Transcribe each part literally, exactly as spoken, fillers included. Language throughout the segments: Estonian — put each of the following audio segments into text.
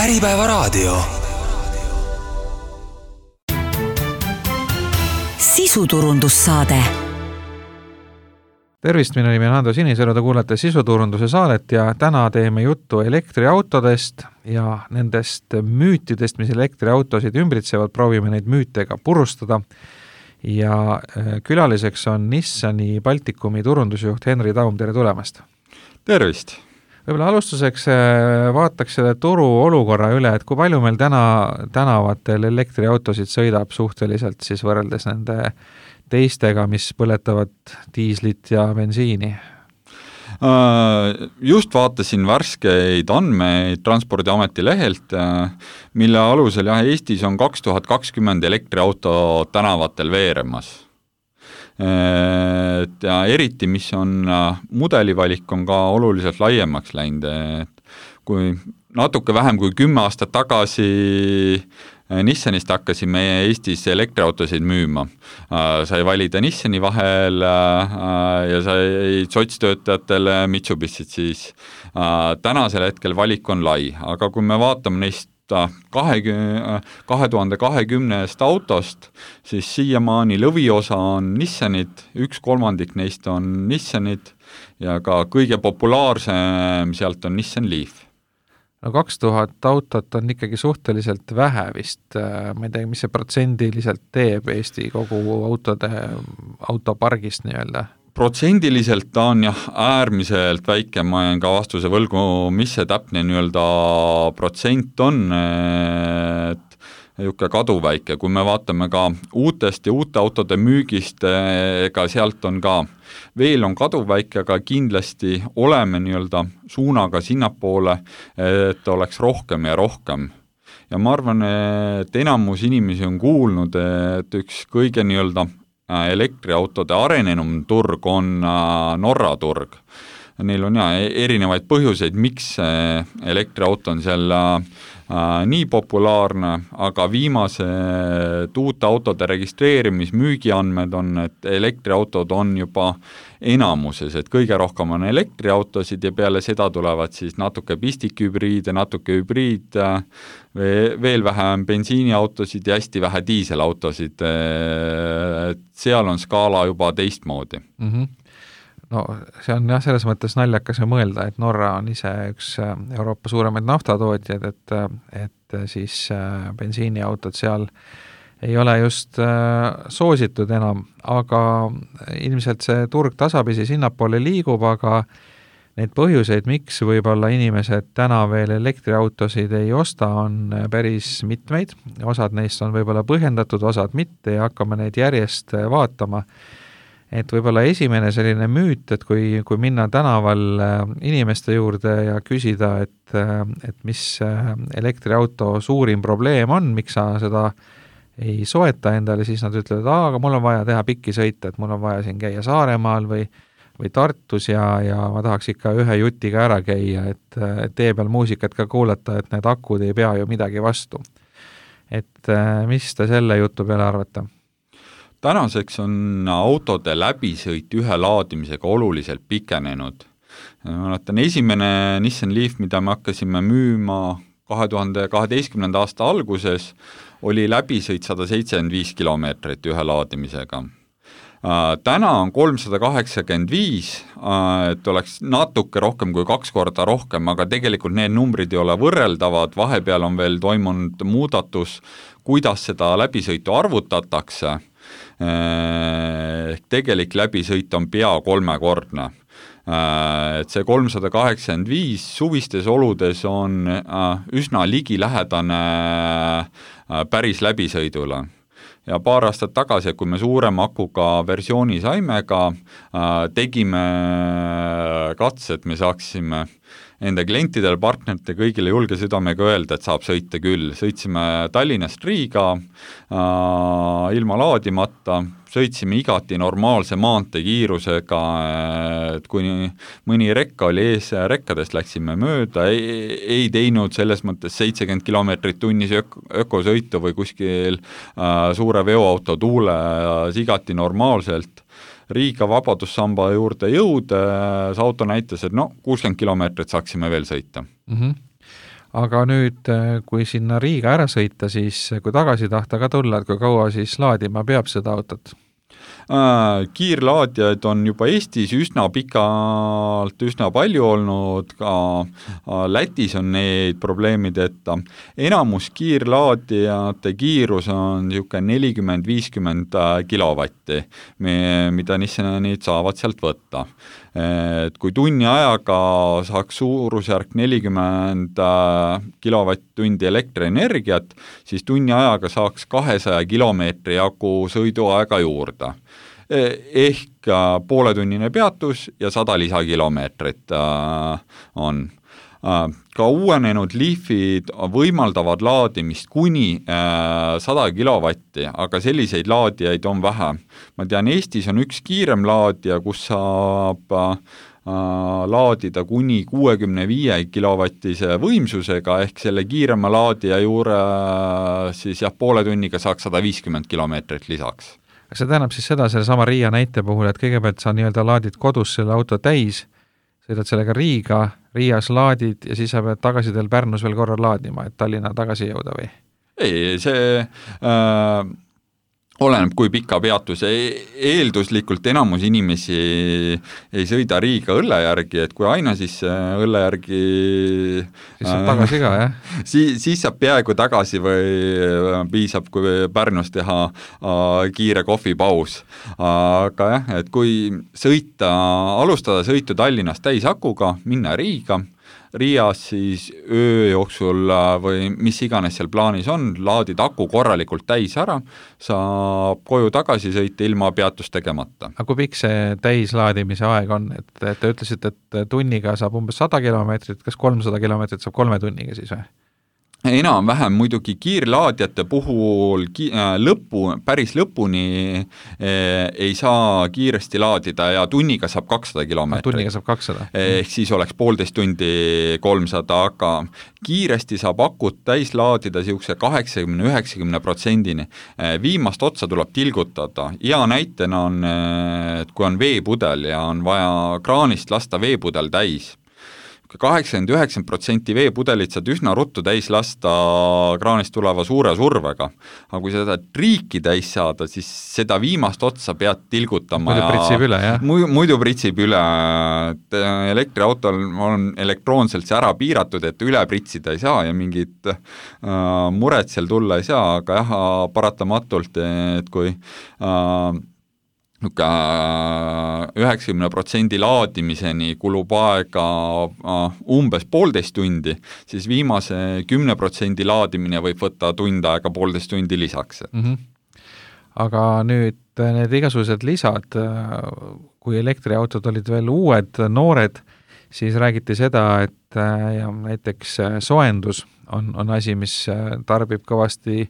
Äripäevaraadio. Sisuturundussaade. Tervist, minu nimi on Ando Sinisalu, te kuulete sisuturunduse saadet ja täna teeme juttu elektriautodest ja nendest müütidest, mis elektriautosid ümbritsevad, proovime neid müütega purustada. Ja külaliseks on Nissani Baltikumi turundusjuht Henri Taum, tere tulemast! Tervist! Võib-olla alustuseks vaataks selle turu olukorra üle, et kui palju meil täna tänavatel elektriautosid sõidab suhteliselt siis võrreldes nende teistega, mis põletavad diislit ja bensiini? Just vaatasin värskeid andmeid Transpordiameti lehelt, mille alusel jah, Eestis on kaks tuhat kakskümmend elektriauto tänavatel veeremas. Ja eriti, mis on mudelivalik, on ka oluliselt laiemaks läinud. Kui natuke vähem kui kümme aastat tagasi Nissanist hakkasime Eestis elektriautosid müüma. Sai valida Nissani vahel ja sai sotstöötajatele Mitsubishit siis. Tänasel hetkel valik on lai, aga kui me vaatame neist kahe tuhande kahekümnest autost, siis siiamaani lõviosa on Nissanid, üks kolmandik neist on Nissanid ja ka kõige populaarsem sealt on Nissan Leaf. No kaks tuhat autot on ikkagi suhteliselt vähe vist, ma ei tea, mis see protsendiliselt teeb Eesti kogu autode, autopargist nii-öelda? Protsendiliselt ta on jah äärmiselt väike, ma jään ka vastuse võlgu, mis see täpne nii-öelda protsent on, et juhke kaduväike. Kui me vaatame ka uutest ja uute autode müügist, ega sealt on ka veel on kaduväike, aga kindlasti oleme nii-öelda suunaga sinnapoole, et oleks rohkem ja rohkem. Ja ma arvan, et enamus inimesi on kuulnud, et üks kõige nii-öelda elektriautode arenenum turg on Norra turg. Neil on ja erinevaid põhjuseid, miks elektriauto on seal nii populaarne, aga viimased uute autode registreerimis müügiandmed on, et elektriautod on juba enamuses, et kõige rohkem on elektriautosid ja peale seda tulevad siis natuke pistikhübriide, natuke hübriid, veel vähem bensiiniautosid ja hästi vähe diiselautosid. Seal on skaala juba teistmoodi. Mm-hmm. No see on jah selles mõttes naljakas mõelda, et Norra on ise üks Euroopa suuremaid naftatootjad, et, et siis bensiiniautod seal ei ole just soositud enam, aga ilmselt see turg tasapisi sinnapoole liigub, aga neid põhjuseid, miks võib-olla inimesed täna veel elektriautosid ei osta, on päris mitmeid. Osad neist on võib-olla põhjendatud, osad mitte ja hakkame neid järjest vaatama. Et võib-olla esimene selline müüt, et kui, kui minna tänaval inimeste juurde ja küsida, et, et mis elektriauto suurim probleem on, miks sa seda ei soeta endale, siis nad ütlevad, et aga mul on vaja teha pikki sõita, et mul on vaja siin käia Saaremaal või, või Tartus ja, ja ma tahaks ikka ühe jutiga ära käia, et, et tee peal muusikat ka kuulata, et need akud ei pea ju midagi vastu. Et mis te selle jutu peale arvate? Tänaseks on autode läbisõit ühe laadimisega oluliselt pikenenud. Ma mäletan, esimene Nissan Leaf, mida me hakkasime müüma kahe tuhande kaheteistkümnenda aasta alguses, oli läbisõit sada seitsekümmend viis kilomeetrit ühe laadimisega. Täna on kolmsada kaheksakümmend viis, et oleks natuke rohkem kui kaks korda rohkem, aga tegelikult need numbrid ei ole võrreldavad, vahepeal on veel toimunud muudatus, kuidas seda läbisõitu arvutatakse. Ehk tegelik läbisõit on pea kolmekordne. Et see kolmsada kaheksakümmend viis suvistes oludes on üsna ligilähedane päris läbisõidule. Ja paar aastat tagasi, kui me suurema akuga versiooni saime, ka tegime katse, et me saaksime enda klientidel, partnerite kõigile julge südamega öelda, et saab sõita küll. Sõitsime Tallinnast Riiga äh, ilma laadimata, sõitsime igati normaalse maantekiirusega, et kui mõni rekka oli ees, rekkadest läksime mööda, ei, ei teinud selles mõttes seitsekümmend kilomeetrit tunnis ök- ökosõitu või kuskil äh, suure veoauto tuules igati normaalselt. Riiga vabadussamba juurde jõud, see auto näitas, et no kuuskümmend kilomeetrit saaksime veel sõita. Mm-hmm. aga nüüd, kui sinna Riiga ära sõita, siis kui tagasi tahta ka tulla, et kui kaua siis laadima peab seda autot? Kiirlaadijaid on juba Eestis üsna pikalt, üsna palju olnud, ka Lätis on neid probleemideta. Enamus kiirlaadijate kiirus on niisugune nelikümmend viiskümmend kilovatti, mida need saavad sealt võtta. Et kui tunni ajaga saaks suurusjärk nelikümmend kilovatt-tundi elektrienergiat, siis tunni ajaga saaks kahesaja kilomeetri jagu sõiduaega juurde. Ehk pooletunnine peatus ja sada lisakilomeetrit on. Ka uuenenud Leafid võimaldavad laadimist kuni sada kilovatti, aga selliseid laadijaid on vähe. Ma tean, Eestis on üks kiirem laadija, kus saab laadida kuni kuuekümne viie kilovatise võimsusega, ehk selle kiirema laadija juure siis jah, poole tunniga saaks sada viiskümmend kilomeetrit lisaks. See tähendab siis seda selle sama Riia näite puhul, et kõigepealt sa nii-öelda laadid kodus selle auto täis, sõidad sellega Riiga, Riias laadid ja siis sa pead tagasi teil Pärnus veel korra laadima, et Tallinna tagasi jõuda või? Ei, see äh, oleneb, kui pika peatus. Eelduslikult enamus inimesi ei sõida Riiga õlle järgi, et kui aina siis õlle järgi siis saab tagasi ka, jah? Siis, siis saab peaaegu tagasi või piisab, kui Pärnus teha kiire kohvipaus. Aga jah, et kui sõita, alustada sõitu Tallinnast täisakuga, minna Riiga, Riias siis öö jooksul või mis iganes seal plaanis on, laadid aku korralikult täis ära, saab koju tagasi sõita ilma peatust tegemata. Aga kui pikk see täislaadimise aeg on? Et, et te ütlesite, et tunniga saab umbes sada kilomeetrit, kas kolmsada kilomeetrit saab kolme tunniga siis või? Enam-vähem muidugi kiirlaadjate puhul ki lõpu, päris lõpuni eh, ei saa kiiresti laadida ja tunniga saab kakssada kilomeetrit. Tunniga saab kakssada. Ehk siis oleks poolteist tundi kolmsada, aga kiiresti saab akut täis laadida siukse kaheksakümne üheksakümne protsendini. Viimast otsa tuleb tilgutada. Ja näitena on, et kui on veepudel ja on vaja kraanist lasta veepudel täis, kaheksakümmend üheksakümmend protsenti veepudelit saad üsna ruttu täis lasta kraanist tuleva suure survega. Aga kui seda triiki täis saada, siis seda viimast otsa pead tilgutama. Muidu pritsib üle, jah? Muidu, muidu pritsib üle. Et elektriautol on elektroonselt see ära piiratud, et üle pritsida ei saa ja mingit äh, muret seal tulla ei saa, aga jah, paratamatult, et kui äh, üheksakümne protsendi laadimiseni kulub aega umbes poolteist tundi, siis viimase kümne protsendi laadimine võib võtta tund aega poolteist tundi lisaks. Mm -hmm. Aga nüüd need igasugused lisad, kui elektriautod olid veel uued, noored, siis räägiti seda, et ja näiteks soendus on, on asi, mis tarbib kõvasti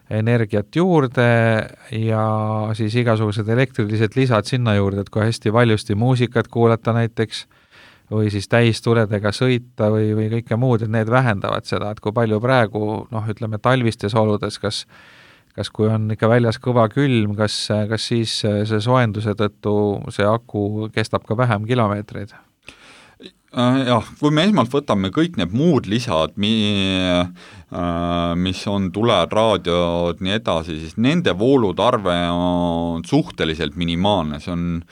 energiat juurde ja siis igasugused elektrilised lisad sinna juurde, et kui hästi valjusti muusikat kuulata näiteks või siis täistuledega sõita või, või kõike muud, et need vähendavad seda, et kui palju praegu, noh, ütleme talvistes oludes, kas, kas kui on ikka väljas kõva külm, kas, kas siis see soenduse tõttu see aku kestab ka vähem kilomeetreid? Jah, kui me esmalt võtame kõik need muud lisad, mis on tuled, raadiod, nii edasi, siis nende voolutarve on suhteliselt minimaalne, see on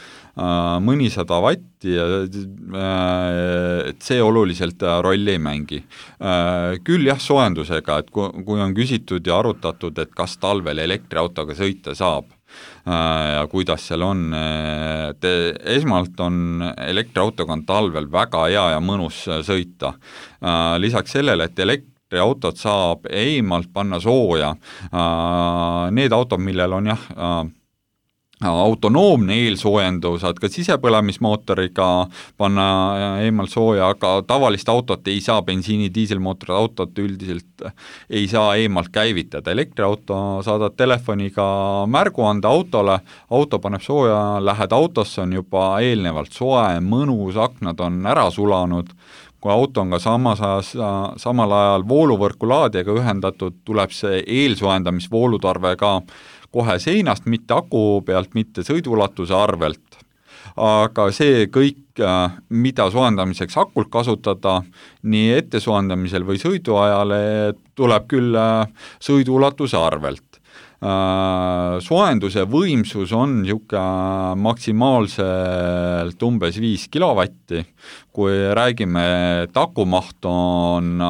mõnisada vatti ja see oluliselt rolli ei mängi. Küll jah, soendusega, et kui on küsitud ja arutatud, et kas talvel elektriautoga sõita saab, ja kuidas seal on, et esmalt on elektriautoga on talvel väga hea ja mõnus sõita. Lisaks sellele, et elektriautot saab eemalt panna sooja, need autod, millel on jah autonoomne eelsoojendus, saad ka sisepõlemismootoriga panna eemalt sooja, aga tavalist autot ei saa, bensiini diiselmootorid autot üldiselt ei saa eemalt käivitada. Elektriauto saadad telefoniga märguande autole, auto paneb sooja, lähed autosse, on juba eelnevalt soe, mõnus, aknad on ära sulanud. Kui auto on ka samas ajas, samal ajal vooluvõrku laadijaga ühendatud, tuleb see eelsoojendamisvoolutarve ka kohe seinast, mitte aku pealt, mitte sõidulatuse arvelt. aga see kõik, mida soojendamiseks akult kasutada, nii ette soojendamisel või sõidu ajale, tuleb küll sõiduulatuse arvelt. Soojenduse võimsus on niisugune maksimaalselt umbes viis kilovatti, kui räägime, et akumaht on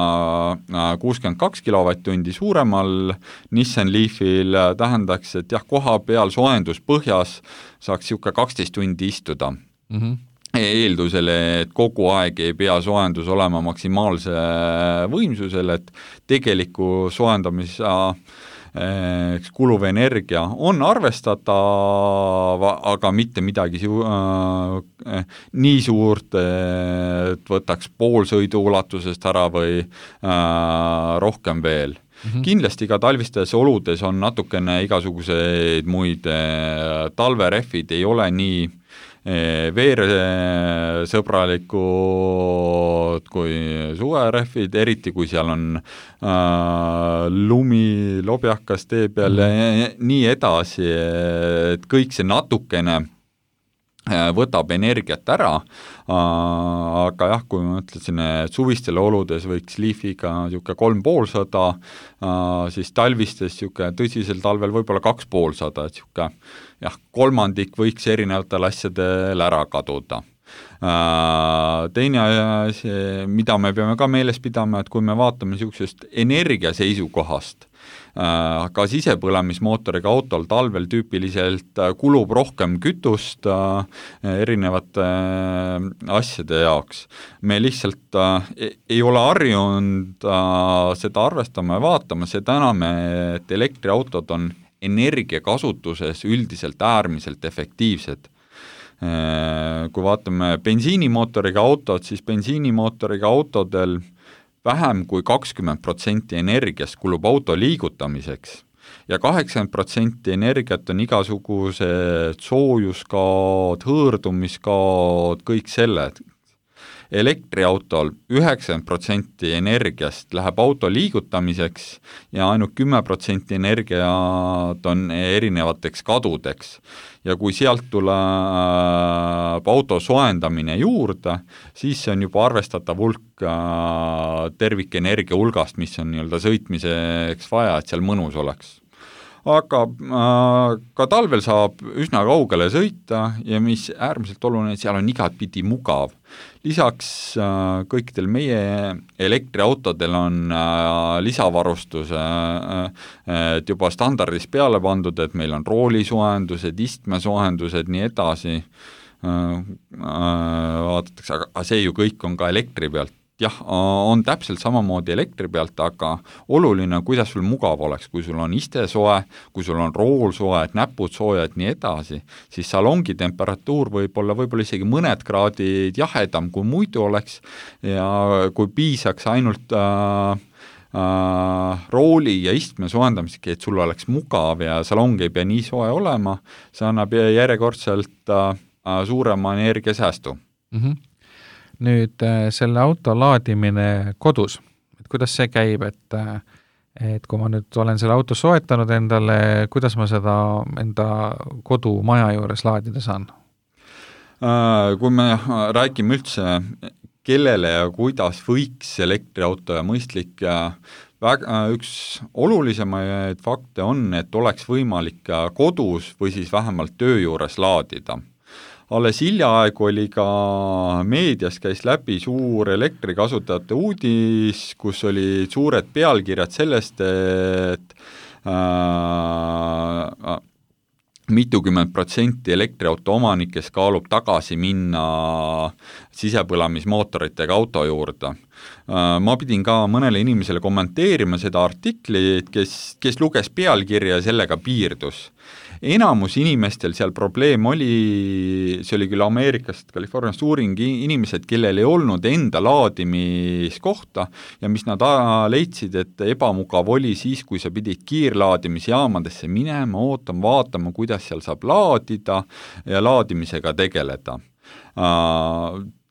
kuuskümmend kaks kilovatt-tundi suuremal Nissan Leafil, tähendaks, et jah, koha peal soojendus põhjas saaks niisugune kaksteist tundi istuda. Mm-hmm. Eeldusele, et kogu aeg ei pea soojendus olema maksimaalse võimsusel, et tegeliku soojendamisa eks kuluv energia on arvestatav, aga mitte midagi siu, äh, nii suurt, et võtaks pool sõidu ulatusest ära või äh, rohkem veel. Mm-hmm. Kindlasti ka talvistes oludes on natukene igasuguseid muid äh, talverehvid ei ole nii veersõbralikud kui suverehvid, eriti kui seal on äh, lumi, lobjakas tee peal ja nii edasi, et kõik see natukene võtab energiat ära, aga jah, kui ma ütlesin, et suvistel oludes võiks Leafiga niisugune kolm poolsada, siis talvistes niisugune tõsisel talvel võib-olla kaks poolsada, et niisugune jah, kolmandik võiks erinevatel asjadel ära kaduda. Teine asi, mida me peame ka meeles pidama, et kui me vaatame niisugusest energia seisukohast, ka sisepõlemismootoriga autol talvel tüüpiliselt kulub rohkem kütust erinevate asjade jaoks. Me lihtsalt ei ole harjunud seda arvestama ja vaatama, seda enam, et elektriautod on energiakasutuses üldiselt äärmiselt efektiivsed. Kui vaatame bensiinimootoriga autod, siis bensiinimootoriga autodel vähem kui kakskümmend protsenti energiast kulub auto liigutamiseks ja kaheksakümmend protsenti energiat on igasugused soojuskaod, hõõrdumiskaod, kõik selle. Elektriautol üheksakümmend protsenti energiast läheb auto liigutamiseks ja ainult kümme protsenti energiat on erinevateks kadudeks. Ja kui sealt tuleb auto soojendamine juurde, siis see on juba arvestatav hulk tervikenergia hulgast, mis on nii-öelda sõitmiseks vaja, et seal mõnus oleks. Aga äh, ka talvel saab üsna kaugele sõita ja mis äärmiselt oluline, seal on igat pidi mugav. Lisaks äh, kõikidel meie elektriautodel on äh, lisavarustus, äh, et juba standardis peale pandud, et meil on roolisuojendused, istmesoojendused, nii edasi. Äh, äh, vaadatakse, aga see ju kõik on ka elektri pealt. Jah, on täpselt samamoodi elektri pealt, aga oluline, kuidas sul mugav oleks, kui sul on iste soe, kui sul on rool soe, et näpud soojad, nii edasi, siis salongi temperatuur võib olla võib-olla isegi mõned kraadid jahedam kui muidu oleks ja kui piisaks ainult äh, äh, rooli ja istme soojendamisega, et sul oleks mugav ja salong ei pea nii soe olema, see annab järjekordselt äh, suurema energiasäästu. Mhm. Nüüd selle auto laadimine kodus, et kuidas see käib, et, et kui ma nüüd olen selle auto soetanud endale, kuidas ma seda enda kodumaja juures laadida saan? Kui me räägime üldse, kellele ja kuidas võiks elektriauto ja mõistlik, üks olulisemaid fakte on, et oleks võimalik kodus või siis vähemalt töö juures laadida. Alles hiljaaeg oli ka meedias käis läbi suur elektrikasutajate uudis, kus oli suured pealkirjad sellest, et äh, mitukümmend protsenti elektriauto omanikest kaalub tagasi minna sisepõlemismootoritega auto juurde. Äh, ma pidin ka mõnele inimesele kommenteerima seda artiklit, kes, kes luges pealkirja ja sellega piirdus. Enamus inimestel seal probleem oli, see oli küll Ameerikast, Californiast uuring, inimesed, kellel ei olnud enda laadimiskohta ja mis nad leidsid, et ebamugav oli siis, kui sa pidid kiirlaadimisjaamadesse minema, ootama, vaatama, kuidas seal saab laadida ja laadimisega tegeleda.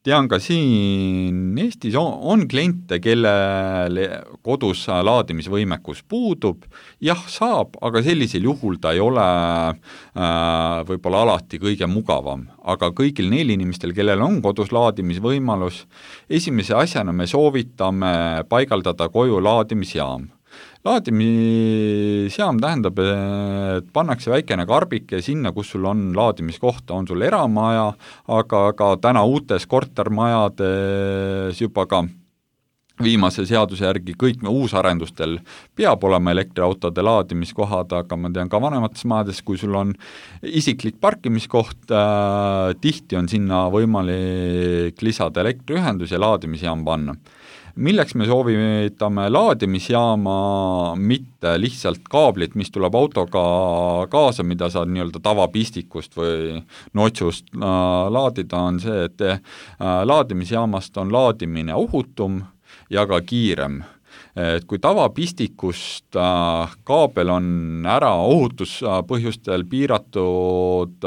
tean ka siin Eestis on, on kliente, kellel kodus laadimisvõimekus puudub, jah, saab, aga sellisel juhul ta ei ole äh, võib-olla alati kõige mugavam. Aga kõigil neil inimestel, kellel on kodus laadimisvõimalus, esimese asjana me soovitame paigaldada koju laadimisjaam. Laadimisjaam tähendab, et pannakse väikene karbike sinna, kus sul on laadimiskohta, on sul eramaja, aga ka täna uutes kortermajades juba ka viimase seaduse järgi kõik uusarendustel peab olema elektriautode laadimiskohad, aga ma tean ka vanemates majades, kui sul on isiklik parkimiskoht, äh, tihti on sinna võimalik lisada elektriühendus ja laadimisjaam panna. Milleks me soovitame laadimisjaama, mitte lihtsalt kaablit, mis tuleb autoga kaasa, mida saad nii-öelda tavapistikust või notsust laadida, on see, et laadimisjaamast on laadimine ohutum ja ka kiirem. Et kui tavapistikust kaabel on ära ohutuspõhjustel piiratud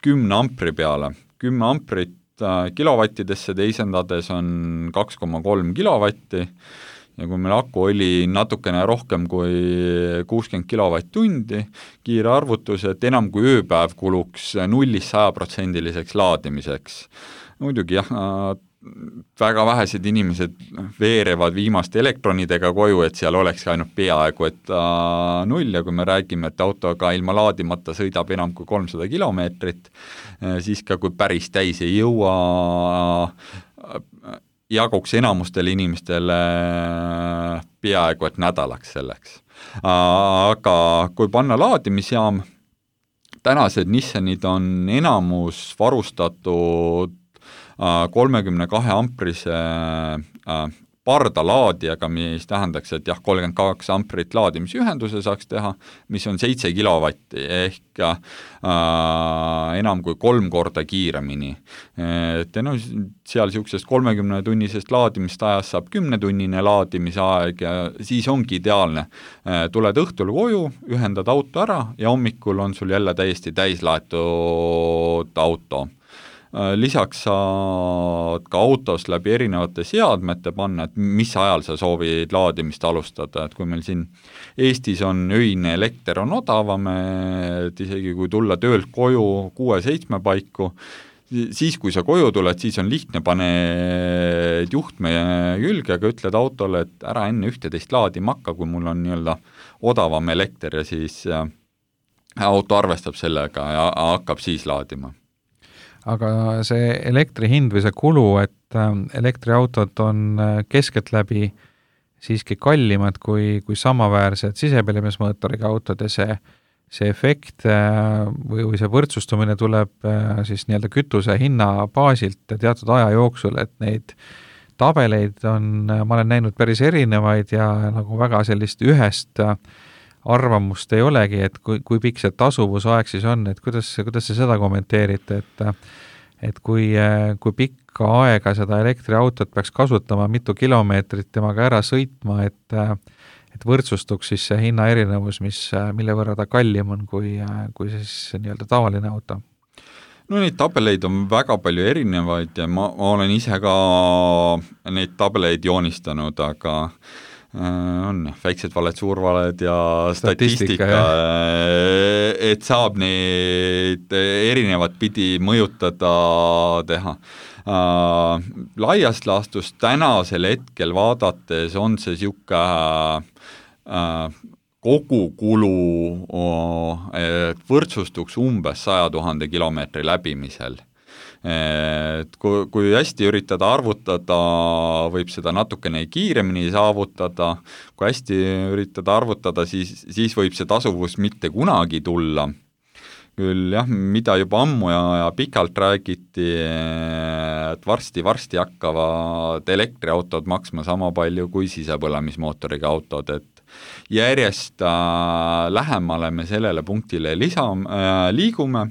kümne ampri peale, kümme amprit kilovattidesse teisendades on kaks koma kolm kilovatti ja kui meil aku oli natukene rohkem kui kuuskümmend kilovatt-tundi, kiire arvutus, et enam kui ööpäev kuluks nullist sajaprotsendiliseks laadimiseks. Muidugi jah, väga vähesed inimesed veerevad viimaste elektronidega koju, et seal oleks ainult peaaegu et äh, null ja kui me räägime, et autoga ilma laadimata sõidab enam kui kolmsada kilomeetrit, äh, siis ka kui päris täis ei jõua, äh, jaguks enamustele inimestele peaaegu et nädalaks selleks. Äh, aga kui panna laadimisjaam, tänased Nissanid on enamus varustatud kolmekümne kahe amprise pardalaadijaga, mis tähendaks, et jah, kolmkümmend kaks amprit laadimisühenduse saaks teha, mis on seitse kilovatti ehk äh, enam kui kolm korda kiiremini. Et no, seal niisugusest kolmekümne tunnisest laadimist ajast saab kümnetunnine laadimisaeg ja siis ongi ideaalne. Tuled õhtul koju, ühendad auto ära ja hommikul on sul jälle täiesti täislaetud auto. Lisaks saad ka autos läbi erinevate seadmete panna, et mis ajal sa soovid laadimist alustada, et kui meil siin Eestis on öine elekter on odavam, et isegi kui tulla töölt koju kuue-seitsme paiku, siis kui sa koju tuled, siis on lihtne paned juhtme külge, aga ütled autole, et ära enne ühteteist laadima hakka, kui mul on nii-öelda odavam elekter ja siis auto arvestab sellega ja hakkab siis laadima. Aga see elektri hind või see kulu, et elektriautod on keskeltläbi siiski kallimad kui, kui samaväärsed sisepõlemismootoriga autod ja see, see efekt või, või see võrdsustumine tuleb siis nii-öelda kütuse hinna baasilt teatud aja jooksul, et neid tabeleid on, ma olen näinud päris erinevaid ja nagu väga sellist ühest arvamust ei olegi, et kui, kui pikk see tasuvusaeg siis on, et kuidas, kuidas te seda kommenteerite, et, et kui, kui pikka aega seda elektriautot peaks kasutama, mitu kilomeetrit temaga ära sõitma, et, et võrdsustuks siis see hinna erinevus, mis, mille võrra ta kallim on kui, kui siis nii-öelda tavaline auto? No neid tabeleid on väga palju erinevaid ja ma, ma olen ise ka neid tabeleid joonistanud, aga on väiksed valed, suurvaled ja statistika, statistika et saab neid erinevat pidi mõjutada teha. Uh, laiast laastus tänasel hetkel vaadates on see siuke uh, kogukulu uh, et võrdsustuks umbes saja tuhande kilomeetri läbimisel. Et kui, kui hästi üritada arvutada, võib seda natukene kiiremini saavutada, kui hästi üritada arvutada, siis, siis võib see tasuvus mitte kunagi tulla. Küll jah, mida juba ammu ja, ja pikalt räägiti, et varsti-varsti hakkavad elektriautod maksma sama palju kui sisepõlemismootoriga autod, et järjest äh, lähemale me sellele punktile lisa, äh, liigume.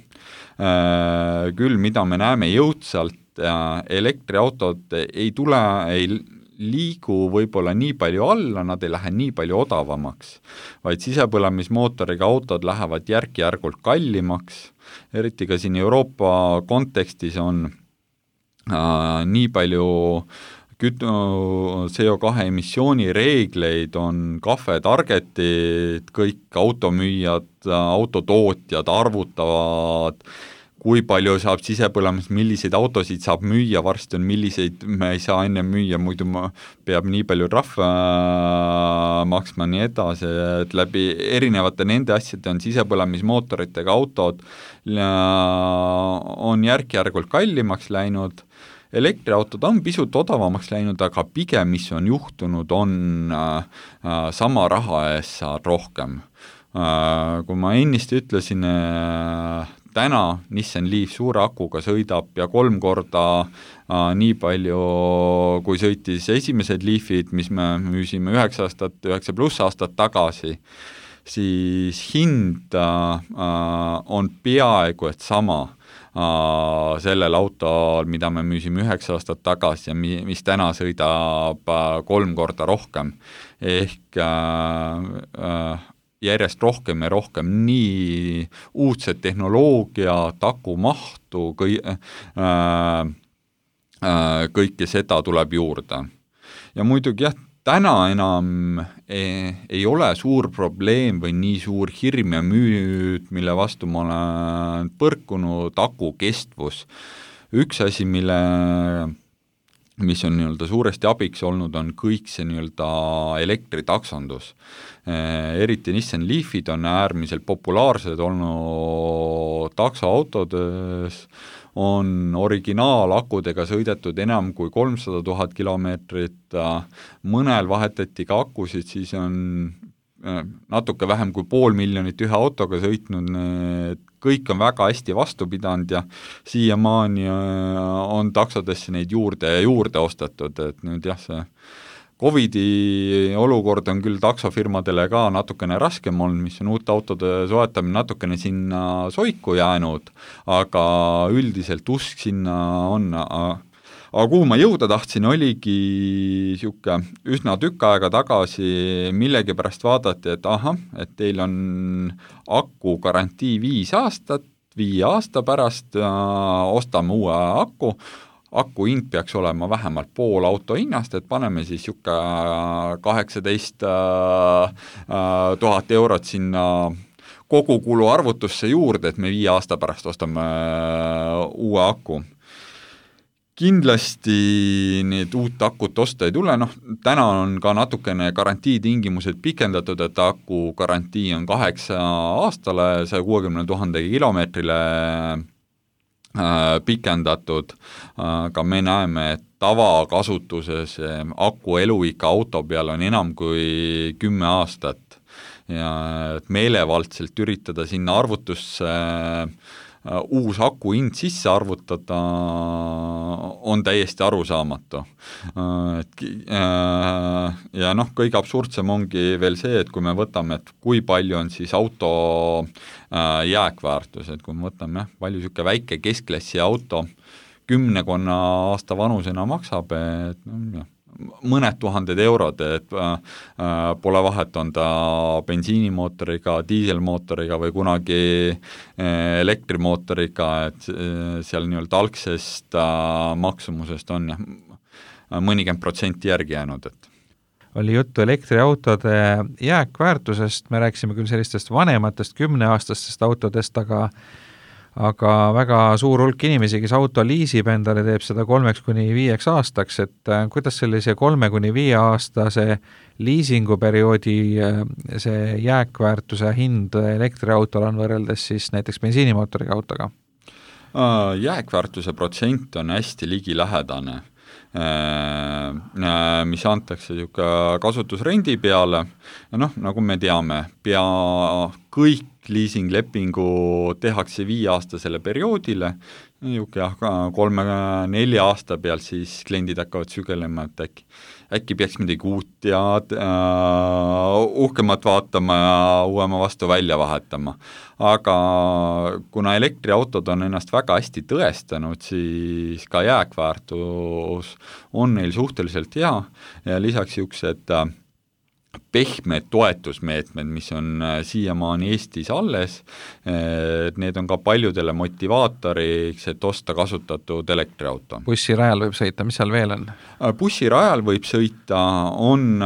Küll, mida me näeme jõudsalt, elektriautod ei tule, ei liigu võib-olla nii palju alla, nad ei lähe nii palju odavamaks, vaid sisepõlemismootoriga autod lähevad järk-järgult kallimaks, eriti ka siin Euroopa kontekstis on äh, nii palju küt-, C O kahe emissiooni reegleid, on Cafe Targetid, kõik automüüjad, autotootjad arvutavad, kui palju saab sisepõlemas, milliseid autosid saab müüa, varsti on milliseid me ei saa enne müüa, muidu ma peab nii palju trahve maksma, nii edasi, et läbi erinevate nende asjade on sisepõlemismootoritega autod on järk-järgult kallimaks läinud, elektriautod on pisut odavamaks läinud, aga pigem, mis on juhtunud, on äh, sama raha eest saad rohkem. Äh, kui ma ennist ütlesin, äh, täna Nissan Leaf suure akuga sõidab ja kolm korda äh, nii palju, kui sõitis esimesed Leafid, mis me müüsime üheksa aastat, üheksa pluss aastat tagasi, siis hind äh, on peaaegu et sama äh, sellel autol, mida me müüsime üheksa aastat tagasi ja mi, mis täna sõidab äh, kolm korda rohkem. Ehk äh, äh, järjest rohkem ja rohkem nii uudset tehnoloogiat, akumahtu, kõi, äh, äh, kõike seda tuleb juurde. Ja muidugi jah, täna enam ei, ei ole suur probleem või nii suur hirm ja müüd, mille vastu ma olen põrkunud, aku kestvus. Üks asi, mille mis on nii-öelda suuresti abiks olnud, on kõik see nii-öelda elektritaksondus. Eriti Nissan Leafid on äärmiselt populaarsed olnud taksoautodes, on originaalakudega sõidetud enam kui kolmsada tuhat kilomeetrit, mõnel vahetati ka akusid, siis on natuke vähem kui pool miljonit ühe autoga sõitnud, need kõik on väga hästi vastu pidanud ja siiamaani on taksodesse neid juurde ja juurde ostetud, et nüüd jah, see Covidi olukord on küll taksofirmadele ka natukene raskem olnud, mis on uute autode soetamine natukene sinna soiku jäänud, aga üldiselt usk sinna on. Aga kuhu ma jõuda tahtsin, oligi siuke üsna tükk aega tagasi millegi pärast vaadati, et ahah, et teil on aku garantii viis aastat, viie aasta pärast äh, ostame uue aku, aku hind peaks olema vähemalt pool auto hinnast, et paneme siis siuke kaheksateist tuhat eurot sinna kogukulu arvutusse juurde, et me viie aasta pärast ostame uue aku. Kindlasti need uut akut osta ei tule, noh, täna on ka natukene garantiitingimused pikendatud, et aku garantii on kaheksa aastale, saja kuuekümne tuhande kilomeetrile pikendatud, aga me näeme, et tavakasutuses aku eluika auto peal on enam kui kümme aastat ja et meelevaldselt üritada sinna arvutusse uus aku hind sisse arvutada on täiesti arusaamatu. Ja noh, kõige absurdsem ongi veel see, et kui me võtame, et kui palju on siis auto jääkväärtus, et kui me võtame jah, palju siuke väike keskklassi auto kümnekonna aasta vanusena maksab, et noh, mõned tuhanded eurod, et äh, pole vahet, on ta bensiinimootoriga, diiselmootoriga või kunagi äh, elektrimootoriga, et äh, seal nii-öelda algsest äh, maksumusest on jah, mõnikümmend protsenti järgi jäänud, et oli juttu elektriautode jääkväärtusest, me rääkisime küll sellistest vanematest kümneaastastest autodest, aga aga väga suur hulk inimesi, kes auto liisib endale, teeb seda kolmeks kuni viieks aastaks, et kuidas sellise kolme kuni viie aastase liisinguperioodi see jääkväärtuse hind elektriautol on võrreldes siis näiteks bensiinimootoriga autoga? Jääkväärtuse protsent on hästi ligilähedane, mis antakse kasutusrendi peale ja noh, nagu me teame, pea kõik liisinglepingu tehakse viieaastasele perioodile, kolme-nelja aasta peal siis kliendid hakkavad sügelema, et äkki, äkki peaks midagi uut ja uh, uhkemat vaatama ja uuema vastu välja vahetama. Aga kuna elektriautod on ennast väga hästi tõestanud, siis ka jääkväärtus on neil suhteliselt hea ja lisaks juksed uh, pehmed toetusmeetmed, mis on siiamaani Eestis alles, need on ka paljudele motivaatoriks, et osta kasutatud elektriauto. Bussirajal võib sõita, mis seal veel on? Bussirajal võib sõita, on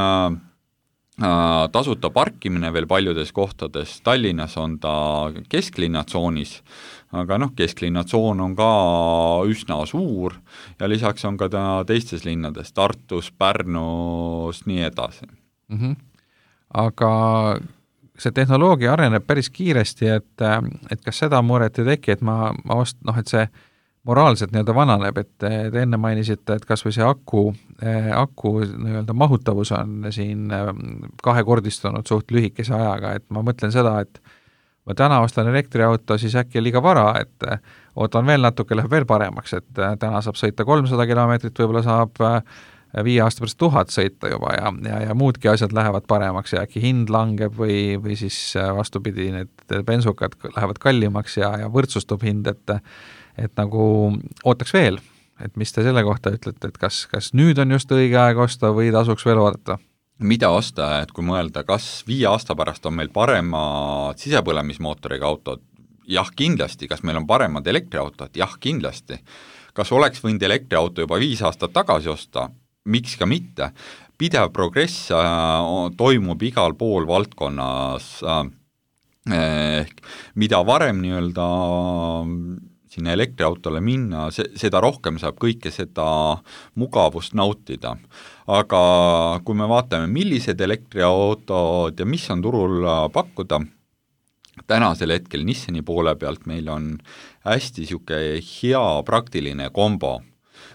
tasuta parkimine veel paljudes kohtades, Tallinnas on ta kesklinnatsoonis, aga noh, kesklinnatsoon on ka üsna suur ja lisaks on ka ta teistes linnades, Tartus, Pärnus, nii edasi. Mm-hmm. Aga see tehnoloogia areneb päris kiiresti, et, et kas seda muret ei teki, et ma, ma ost, noh, et see moraalselt nii-öelda vananeb, et te enne mainisite, et kas või see aku, aku nii-öelda mahutavus on siin kahekordistunud suht lühikese ajaga, et ma mõtlen seda, et ma täna ostan elektriauto, siis äkki liiga vara, et ootan veel natuke, läheb veel paremaks, et täna saab sõita kolmsada kilomeetrit, võib-olla saab viie aasta pärast tuhat sõita juba ja, ja, ja muudki asjad lähevad paremaks ja äkki hind langeb või, või siis vastupidi, need bensukad lähevad kallimaks ja, ja võrdsustub hind, et et nagu ootaks veel, et mis te selle kohta ütlete, et kas, kas nüüd on just õige aeg osta või tasuks veel oodata? Mida osta, et kui mõelda, kas viie aasta pärast on meil paremad sisepõlemismootoriga autod? Jah, kindlasti. Kas meil on paremad elektriautod? Jah, kindlasti. Kas oleks võinud elektriauto juba viis aastat tagasi osta? Miks ka mitte? Pidev progress toimub igal pool valdkonnas, ehk mida varem nii-öelda sinna elektriautole minna, se, seda rohkem saab kõike seda mugavust nautida. Aga kui me vaatame, millised elektriautod ja mis on turul pakkuda, tänasel hetkel Nissani poole pealt meil on hästi siuke hea praktiline kombo.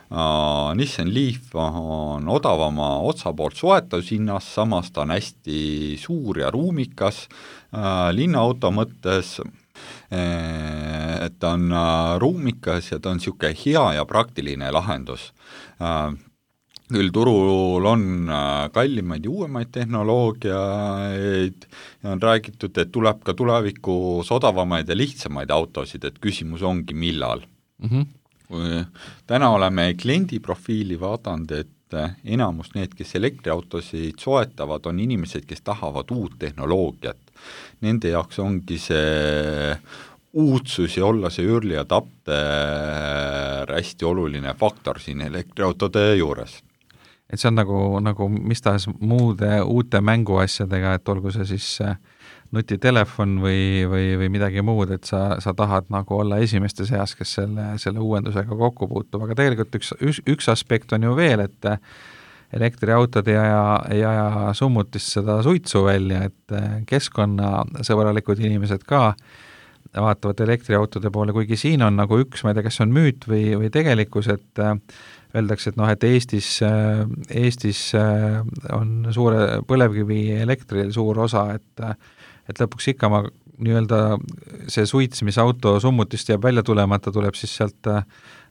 Uh, Nissan Leaf on odavama otsapoolt soetushinnas, samas ta on hästi suur ja ruumikas uh, linnaauto mõttes, et ta on ruumikas ja ta on siuke hea ja praktiline lahendus. Küll turul on kallimaid ja uuemaid tehnoloogiaid ja on räägitud, et tuleb ka tulevikus odavamaid ja lihtsamaid autosid, et küsimus ongi millal. Mm-hmm. Kui täna oleme kliendi profiili vaadanud, et enamus need, kes elektriautosid soetavad, on inimesed, kes tahavad uut tehnoloogiat. Nende jaoks ongi see uudsus ja olla see early adapter hästi oluline faktor siin elektriautode juures. Et see on nagu, nagu mis tahes muude uute mänguasjadega, et olgu see siis nutitelefon või, või, või midagi muud, et sa, sa tahad nagu olla esimeste seas, kes selle, selle uuendusega kokku puutub, aga tegelikult üks, üks, üks aspekt on ju veel, et elektriautod ei aja, ei aja summutist seda suitsu välja, et keskkonnasõbralikud inimesed ka vaatavad elektriautode poole, kuigi siin on nagu üks, ma ei tea, kas on müüt või, või tegelikkus, et öeldakse, et noh, et Eestis, Eestis on suure põlevkivi elektril suur osa, et, et lõpuks ikka ma nii-öelda see suits, mis auto summutist jääb välja tulemata, tuleb siis sealt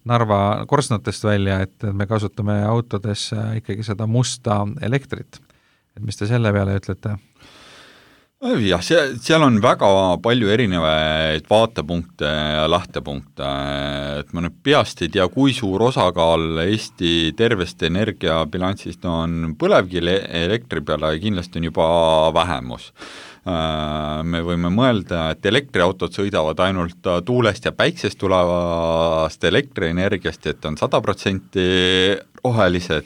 Narva korsnatest välja, et me kasutame autodes ikkagi seda musta elektrit. Et mis te selle peale ütlete? Jah, seal on väga palju erinevaid vaatepunkte ja lähtepunkte, et ma nüüd peast ei tea, kui suur osakaal Eesti tervest energiabilanssist on põlevkivi elektri peale ja kindlasti on juba vähemus. Me võime mõelda, et elektriautod sõidavad ainult tuulest ja päiksest tulevast elektrienergiast, et on sada protsenti rohelised.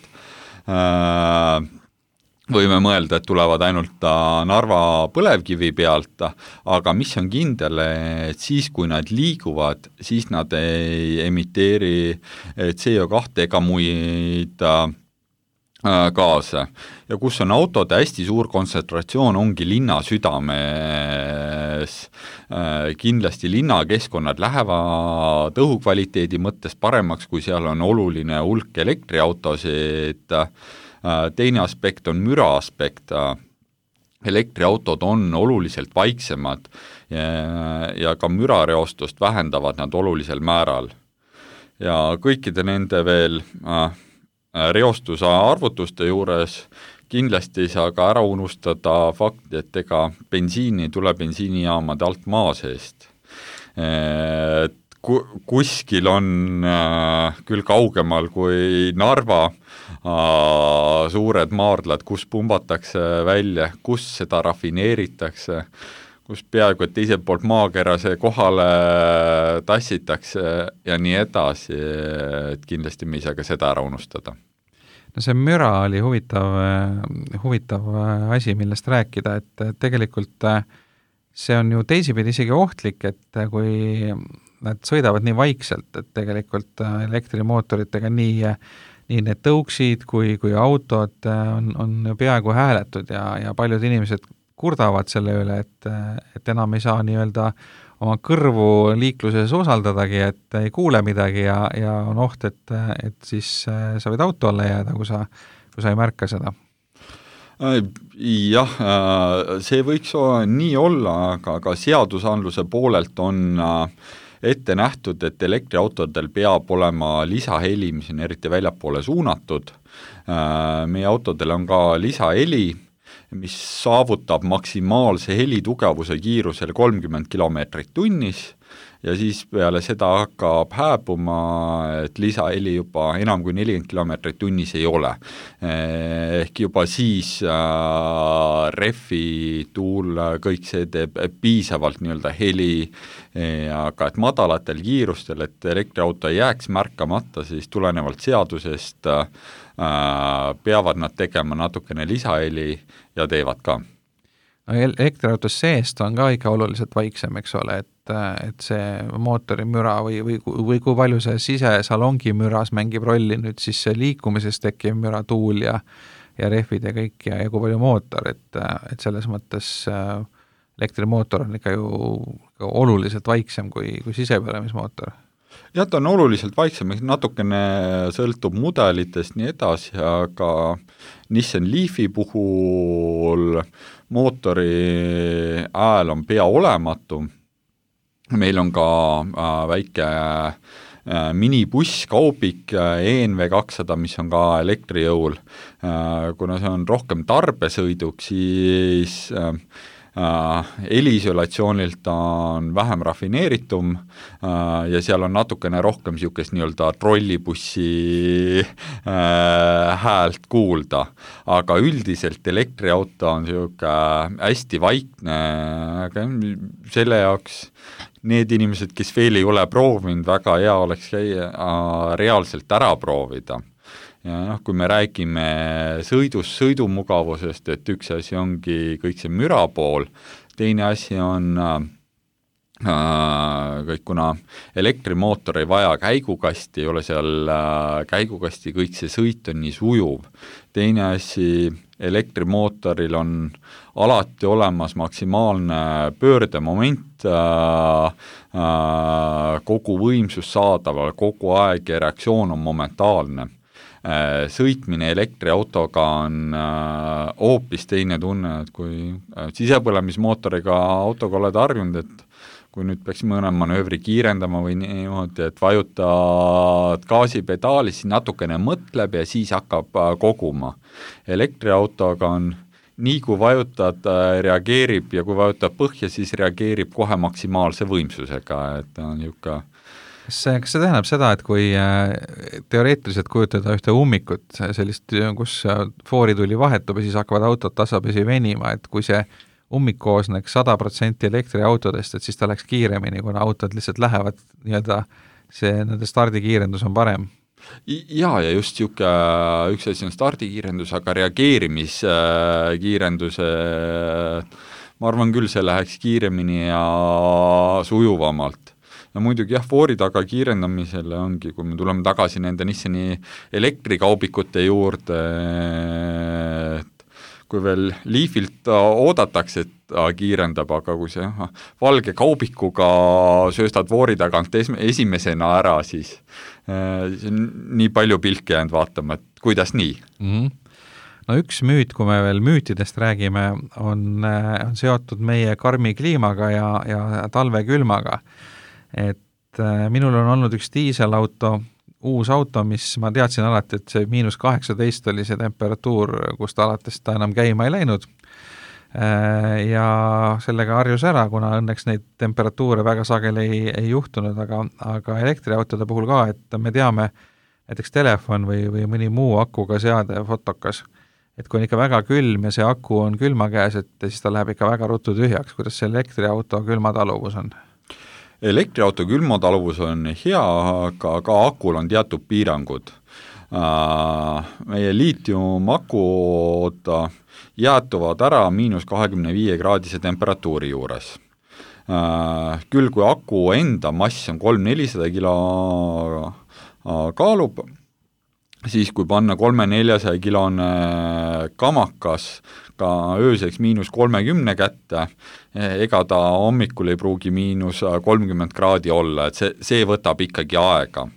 Võime mõelda, et tulevad ainult Narva põlevkivi pealt, aga mis on kindel, et siis, kui nad liiguvad, siis nad ei emiteeri C O kaks ega muid gaase. Ja kus on autode hästi suur kontsentratsioon, ongi linna südames. Kindlasti linnakeskkonnad lähevad õhukvaliteedi mõttes paremaks, kui seal on oluline hulk elektriautosid. Teine aspekt on müra aspekt. Elektriautod on oluliselt vaiksemad ja, ja ka mürareostust vähendavad nad olulisel määral. Ja kõikide nende veel äh, reostuse arvutuste juures kindlasti ei saa ka ära unustada fakti, et ega bensiini ei tule bensiinijaamade alt maa seest. Et kuskil on äh, küll kaugemal kui Narva, suured maardlad, kus pumbatakse välja, kus seda rafineeritakse, kus peaaegu et teiselt poolt maakera see kohale tassitakse ja nii edasi, et kindlasti me ei saa ka seda ära unustada. No see müra oli huvitav, huvitav asi, millest rääkida, et tegelikult see on ju teisipidi isegi ohtlik, et kui nad sõidavad nii vaikselt, et tegelikult elektrimootoritega nii, nii need tõuksid kui, kui autod on, on peaaegu hääletud ja, ja paljud inimesed kurdavad selle üle, et, et enam ei saa nii-öelda oma kõrvu liikluses osaldadagi, et ei kuule midagi ja, ja on oht, et, et siis sa võid auto alla jääda, kui sa, kui sa ei märka seda. Jah, see võiks nii olla, aga, aga seadusandluse poolelt on ette nähtud, et elektriautodel peab olema lisaheli, mis on eriti väljapoole suunatud. Meie autodel on ka lisaheli, mis saavutab maksimaalse helitugevuse kiirusel kolmkümmend kilomeetrit tunnis ja siis peale seda hakkab hääbuma, et lisaheli juba enam kui nelikümmend kilomeetrit tunnis ei ole. Ehk juba siis äh, refi, tuul, kõik see teeb piisavalt nii-öelda heli, aga et madalatel kiirustel, et elektriauto ei jääks märkamata, siis tulenevalt seadusest äh, peavad nad tegema natukene lisaheli ja teevad ka. No elektriautos seest on ka ikka oluliselt vaiksem, eks ole, et, et see mootori müra või, või, või kui palju see sisesalongi müras mängib rolli nüüd siis see liikumises tekkiv müra, tuul ja, ja rehvid ja kõik ja, ja kui palju mootor, et, et selles mõttes elektrimootor on ikka ju oluliselt vaiksem kui, kui sisepõlemismootor. Jah, ta on oluliselt vaiksem, natukene sõltub mudelitest nii edasi, aga Nissan Leafi puhul mootori ääl on pea olematu. Meil on ka äh, väike äh, minibuss, kaubik E N V kakssada, mis on ka elektrijõul. Äh, kuna see on rohkem tarbesõiduk, siis äh, heliisolatsioonilt on vähem rafineeritum ja seal on natukene rohkem niisugust nii-öelda trollibussi häält kuulda, aga üldiselt elektriauto on niisugune hästi vaikne, aga selle jaoks need inimesed, kes veel ei ole proovinud, väga hea oleks käia reaalselt ära proovida. Ja noh, kui me räägime sõidus, sõidumugavusest, et üks asi ongi kõik see müra pool, teine asi on äh, kõik, kuna elektrimootor ei vaja käigukasti, ei ole seal äh, käigukasti, kõik see sõit on nii sujuv. Teine asi, elektrimootoril on alati olemas maksimaalne pöördemoment, äh, äh, kogu võimsus saadaval, kogu aeg ja reaktsioon on momentaalne. Sõitmine elektriautoga on hoopis teine tunne, et kui sisepõlemismootoriga autoga oled harjunud, et kui nüüd peaks mõne manöövri kiirendama või niimoodi, et vajutad gaasipedaali, siis natukene mõtleb ja siis hakkab koguma. Elektriautoga on nii kui vajutad, reageerib ja kui vajutad põhja, siis reageerib kohe maksimaalse võimsusega, et on niisugune. Kas see, kas see tähendab seda, et kui teoreetiliselt kujutada ühte ummikut, sellist, kus foorituli vahetub ja siis hakkavad autod tasapisi venima, et kui see ummik koosneks sada protsenti elektriautodest, et siis ta läks kiiremini, kuna autod lihtsalt lähevad nii-öelda, see nende stardikiirendus on parem? Jaa, ja just siuke, üks asi on stardikiirendus, aga reageerimiskiirenduse, ma arvan küll, see läheks kiiremini ja sujuvamalt. Ja muidugi jah, foori taga kiirendamisele ongi, kui me tuleme tagasi nende Nissani elektrikaubikute juurde, et kui veel Leafilt oodatakse, et ta kiirendab, aga kui see aha, valge kaubikuga sööstad foori tagant esimesena ära, siis äh, nii palju pilke jäänud vaatama, et kuidas nii? Mm-hmm. No üks müüt, kui me veel müütidest räägime, on, on seotud meie karmi kliimaga ja, ja talvekülmaga. Et minul on olnud üks diiselauto, uus auto, mis ma teadsin alati, et see miinus kaheksateist oli see temperatuur, kust alates ta enam käima ei läinud. Ja sellega harjus ära, kuna õnneks neid temperatuure väga sageli ei, ei juhtunud, aga, aga elektriautode puhul ka, et me teame, näiteks telefon või, või mõni muu akuga seade, fotokas, et kui on ikka väga külm ja see aku on külma käes, et siis ta läheb ikka väga ruttu tühjaks, kuidas see elektriauto külmataluvus on? Elektriauto külmataluvus on hea, aga ka akul on teatud piirangud. Meie liitiumakud jäätuvad ära miinus kahekümne viie kraadise temperatuuri juures. Küll kui aku enda mass on kolm nelisada kilo kaalub, siis kui panna kolme neljasaja kilone kamakas ka ööseks miinus kolmekümne kätte, ega ta hommikul ei pruugi miinus kolmkümmend kraadi olla, et see, see võtab ikkagi aega.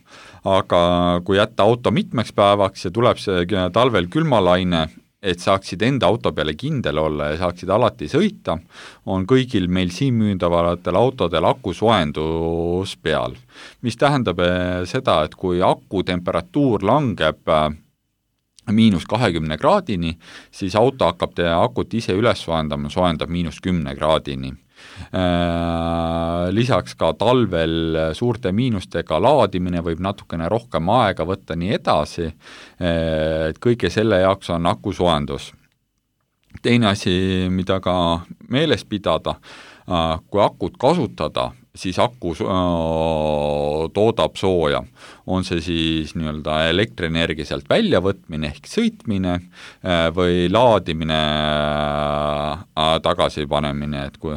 Aga kui jätta auto mitmeks päevaks ja tuleb see talvel külmalaine, et saaksid enda auto peale kindel olla ja saaksid alati sõita, on kõigil meil siin müündavatel autodel aku soojendus peal. Mis tähendab seda, et kui aku temperatuur langeb miinus kahekümne kraadini, siis auto hakkab te akut ise üles soojendama, soojendab miinus kümne kraadini. Lisaks ka talvel suurte miinustega laadimine võib natukene rohkem aega võtta nii edasi, et kõige selle jaoks on aku soojendus. Teine asi, mida ka meeles pidada, kui akut kasutada, siis aku toodab sooja. On see siis nii-öelda elektrienergia sealt väljavõtmine ehk sõitmine või laadimine tagasi panemine, et kui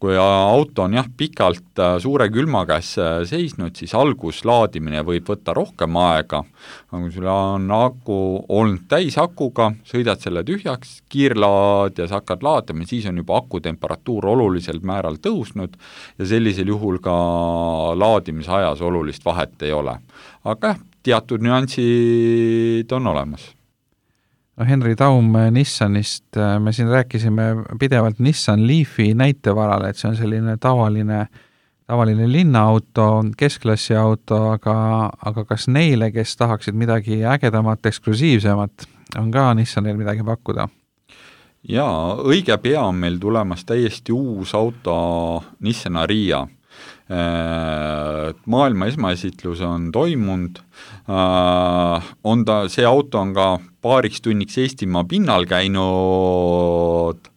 kui auto on jah pikalt suure külma käes seisnud, siis algus laadimine võib võtta rohkem aega, aga kui sul on aku olnud täis akuga, sõidad selle tühjaks, kiirlaad ja sa hakkad laadima, siis on juba aku temperatuur oluliselt määral tõusnud ja sellisel juhul ka laadimise ajas olulist vahet ei ole. Aga teatud nüansid on olemas. No Henri Taum Nissanist, me siin rääkisime pidevalt Nissan Leafi näitevarale, et see on selline tavaline, tavaline linnaauto, keskklassi auto, aga, aga kas neile, kes tahaksid midagi ägedamat, eksklusiivsemat, on ka Nissanil midagi pakkuda? Jaa, õige pea on meil tulemas täiesti uus auto Nissan Ariya. Maailma esmaesitlus on toimunud, on ta, see auto on ka paariks tunniks Eestimaa pinnal käinud,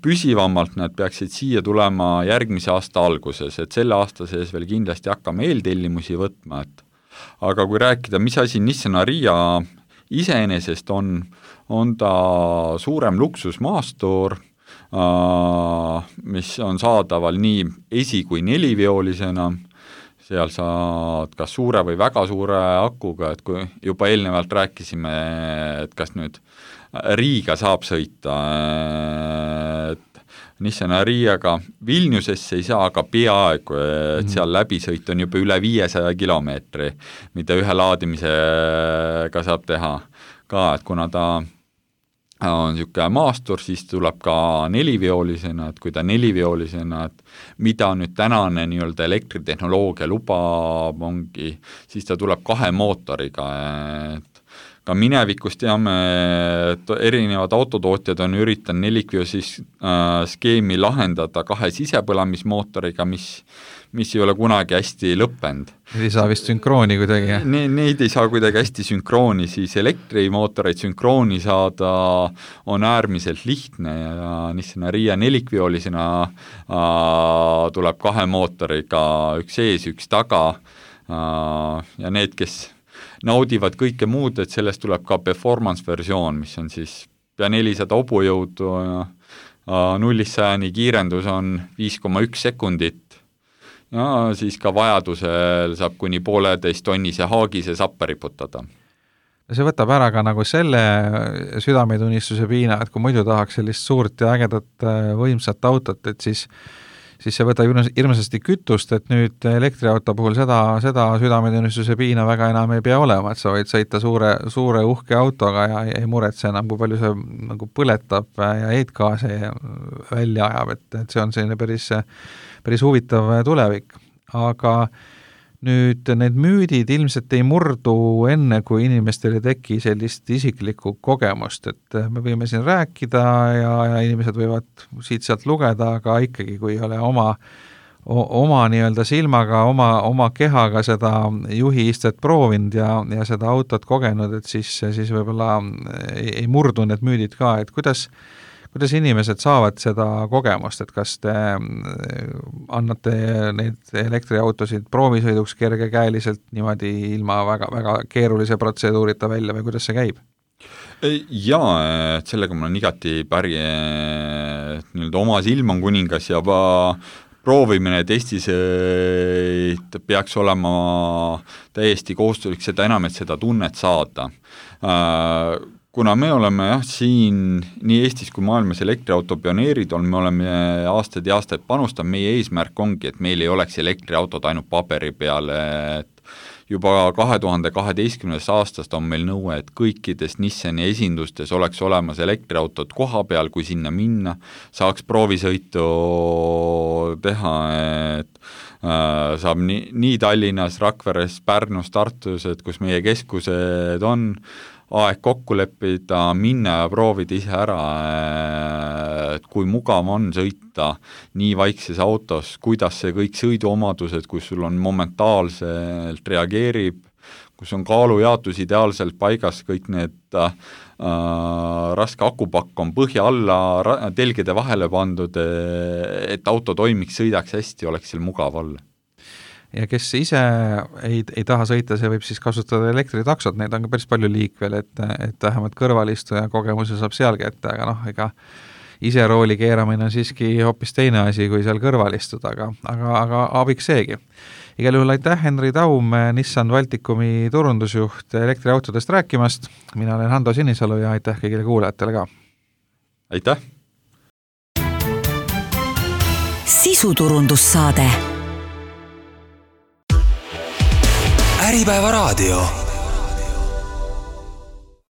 püsivamalt nad peaksid siia tulema järgmise aasta alguses, et selle aasta sees veel kindlasti hakkame eeltellimusi võtma, et aga kui rääkida, mis asi Nissan Ariya iseenesest on, on ta suurem luksusmaastur, mis on saadaval nii esi- kui neliviolisena, seal saad kas suure või väga suure akuga, et kui juba eelnevalt rääkisime, et kas nüüd Riiga saab sõita, et Nissan Ariyaga Vilniusesse ei saa, aga peaaegu, et seal läbisõit on juba üle viiesaja kilomeetri, mida ühe laadimisega saab teha ka, et kuna ta on niisugune maastur, siis tuleb ka neliviolisena, et kui ta neliviolisena, et mida nüüd tänane nii-öelda elektritehnoloogia lubab ongi, siis ta tuleb kahe mootoriga, et ka minevikus teame, et erinevad autotootjad on üritanud nelikvio siis äh, skeemi lahendada kahe sisepõlamismootoriga, mis mis ei ole kunagi hästi lõppenud. Neid ei saa vist sünkrooni kuidagi? Ne, neid ei saa kuidagi hästi sünkrooni, siis elektrimootoreid sünkrooni saada on äärmiselt lihtne ja Nissan Ariya nelikviolisena äh, tuleb kahe mootoriga, üks ees, üks taga äh, ja need, kes naudivad kõike muud, et sellest tuleb ka performance versioon, mis on siis pea nelisada hobujõudu ja äh, nullist sajani kiirendus on viis koma üks sekundit. Ja siis ka vajadusel saab kuni pooleteist tonnise haagise sappa riputada. See võtab ära ka nagu selle südametunnistuse piina, et kui muidu tahaks sellist suurt ja ägedat võimsat autot, et siis, siis see võtab hirmsasti kütust, et nüüd elektriauto puhul seda, seda südametunnistuse piina väga enam ei pea olema, et sa võid sõita suure, suure uhke autoga ja ei muretse enam, kui palju see nagu põletab ja heitgaase välja ajab, et, et see on selline päris päris huvitav tulevik, aga nüüd need müüdid ilmselt ei murdu enne, kui inimestel ei teki sellist isiklikku kogemust, et me võime siin rääkida ja, ja inimesed võivad siit sealt lugeda, aga ikkagi, kui ei ole oma, oma nii-öelda silmaga, oma, oma kehaga seda juhi istet proovinud ja, ja seda autot kogenud, et siis, siis võib-olla ei, ei murdu need müüdid ka, et kuidas kuidas inimesed saavad seda kogemust, et kas te annate neid elektriautosid proovisõiduks kergekäeliselt niimoodi ilma väga, väga keerulise protseduurita välja või kuidas see käib? Jaa, et sellega ma olen igati päri, et nii-öelda oma silm on kuningas ja proovimine testisõit peaks olema täiesti kohustuslik, seda enam, et seda tunnet saada. Kuna me oleme jah, siin nii Eestis kui maailmas elektriauto pioneerid on, me oleme aastaid ja aastaid panustanud, meie eesmärk ongi, et meil ei oleks elektriautod ainult paberi peale, et juba kahe tuhande kaheteistkümnendast aastast on meil nõue, et kõikides Nissani esindustes oleks olemas elektriautod koha peal, kui sinna minna, saaks proovisõitu teha, et äh, saab nii, nii Tallinnas, Rakveres, Pärnus, Tartus, et kus meie keskused on, aeg kokku leppida, minna ja proovida ise ära, et kui mugav on sõita nii vaikses autos, kuidas see kõik sõiduomadused, kus sul on momentaalselt reageerib, kus on kaalujaotus ideaalselt paigas, kõik need äh, raske akupakk on põhja alla telgede vahele pandud, et auto toimiks, sõidaks hästi, oleks seal mugav olla. Ja kes ise ei, ei taha sõita, see võib siis kasutada elektritaksot, neid on ka päris palju liikvel, et, et vähemalt kõrvalistuja kogemuse saab seal kätte, aga noh, ega ise rooli keeramine on siiski hoopis teine asi, kui seal kõrval istuda, aga, aga, aga abiks seegi. Igal juhul aitäh, Henri Taum, Nissan Baltikumi turundusjuht elektriautodest rääkimast, mina olen Hando Sinisalu ja aitäh kõigile kuulajatele ka. Aitäh! Sisuturundussaade Äripäeva raadio.